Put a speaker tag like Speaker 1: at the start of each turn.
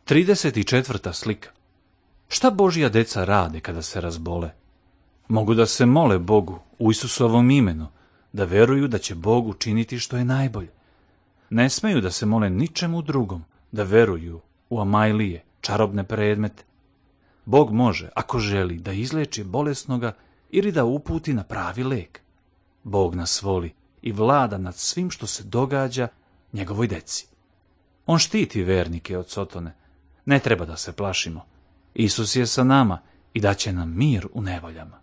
Speaker 1: 34. slika. Šta Božja deca rade kada se razbole? Mogu da se mole Bogu u Isusovom imenu, da veruju da će Bog učiniti što je najbolje. Ne smeju da se mole ničemu drugom, da veruju u amajlije, čarobne predmete. Bog može, ako želi, da izleči bolesnoga ili da uputi na pravi lek. Bog nas voli i vlada nad svim što se događa njegovoj deci. On štiti vernike od Sotone. Ne treba da se plašimo. Isus je sa nama i daće nam mir u nevoljama.